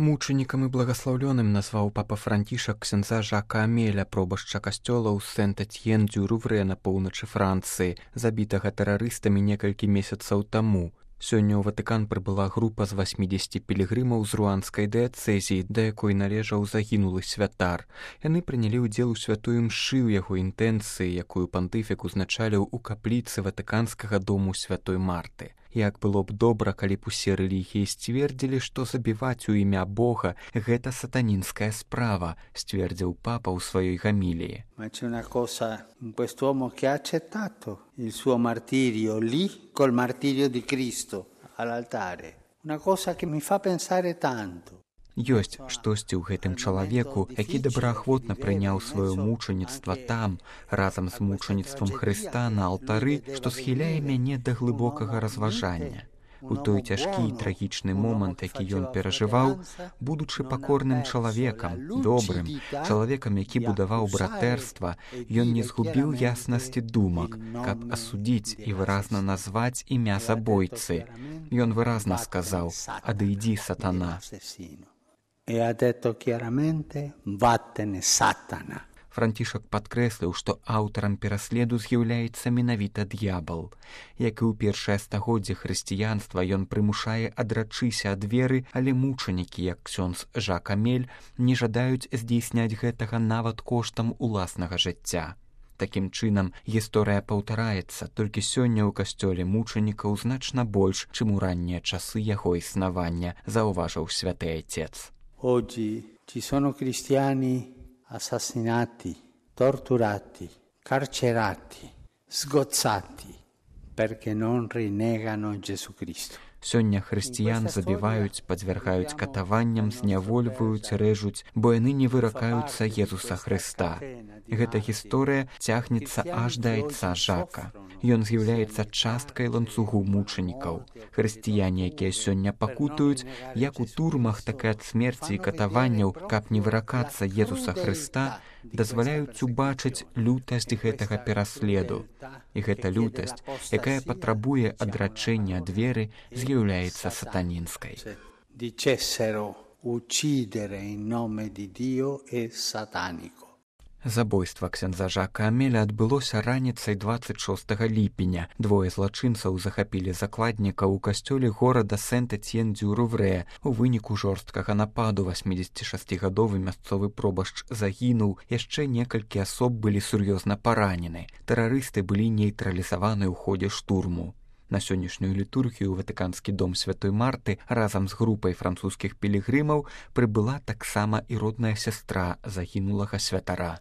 Мучанікам і благаслаўлёным назваў папа Францішак ксяндза Жака Амеля, пробашча касцёла ў Сент-Этьен-дю-Руврэ на поўначы Францыі, забітага тэрарыстамі некалькі месяцаў таму. Сёння ў Ватыкан прыбыла група з 80 пілігрымаў з руанскай дыяцэзіі, да якой належаў загінулы святар. Яны прынялі ўдзел у святой імшы ў яго інтэнцыі, якую пантыфік узначаліў у капліцы ватыканскага дому святой Марты. Як было б добра, калі б усе рэлігіі сцвердзілі, што забіваць у імя Бога – гэта сатанінская справа, сцвердзіў папа ў сваёй гаміліі. Ma c'è una cosa in quest'uomo che ha accettato il suo martirio lì col martirio di Cristo all'altare. Una cosa che mi fa pensare tanto. Ёсць штосьці ў гэтым чалавеку, які добраахвотна прыняў сваё мучаніцтва там, разам з мучаніцтвам Хрыста на алтары, што схіляе мяне да глыбокага разважання. У той цяжкі і трагічны момант, які ён перажываў, будучы пакорным чалавекам, добрым, чалавекам, які будаваў братэрства, ён не згубіў яснасці думак, каб асудзіць і выразна назваць імя забойцы. Ён выразна сказаў: «Адыдзі, сатана». E ha detto chiaramente: vattene, Satana. Францішак падкрэсліў, што аўтарам пераследу з'яўляецца менавіта д'ябал. Як і ў першае стагоддзе хрысціянства, ён прымушае адрачыся ад веры, але мучанікі, як ксёндз Жак Амель, не жадаюць здзейсняць гэтага нават коштам уласнага жыцця. Такім чынам, гісторыя паўтараецца, толькі сёння ў касцёле мучанікаў значна больш, чым у раннія часы яго існавання, заўважыў святы айцец. Oggi ci sono cristiani assassinati, torturati, carcerati, sgozzati perché non rinnegano Gesù Cristo. Сёння хрысціян забіваюць, падвяргаюць катаванням, знявольваюць, рэжуць, бо яны не выракаюцца Езуса Хрыста. Гэта гісторыя цягнецца аж да айца Жака. Ён з'яўляецца часткай ланцугу мучанікаў. Хрысціяне, якія сёння пакутуюць, як у турмах, так і ад смерці і катаванняў, каб не выракацца Езуса Хрыста, дазваляюць убачыць лютасць гэтага пераследу. І гэта лютасць, якая патрабуе адрачэння ад веры, з'яўляецца сатанінскай. Dicessero uccidere in nome di Dio è satanico. Забойства ксяндза Жака Амеля адбылося раніцай 26 ліпеня. Двое злачынцаў захапілі закладніка ў касцёле горада Сент-Этьен-дю-Руврэ. У выніку жорсткага нападу 86-гадовы мясцовы пробашч загінуў, яшчэ некалькі асоб былі сур'ёзна паранены. Тэрарысты былі нейтралізаваны ў ходзе штурму. На сённяшнюю літургію ў Ватыканскі дом святой Марты разам з групай французскіх пілігрымаў прыбыла таксама і родная сястра загінулага святара.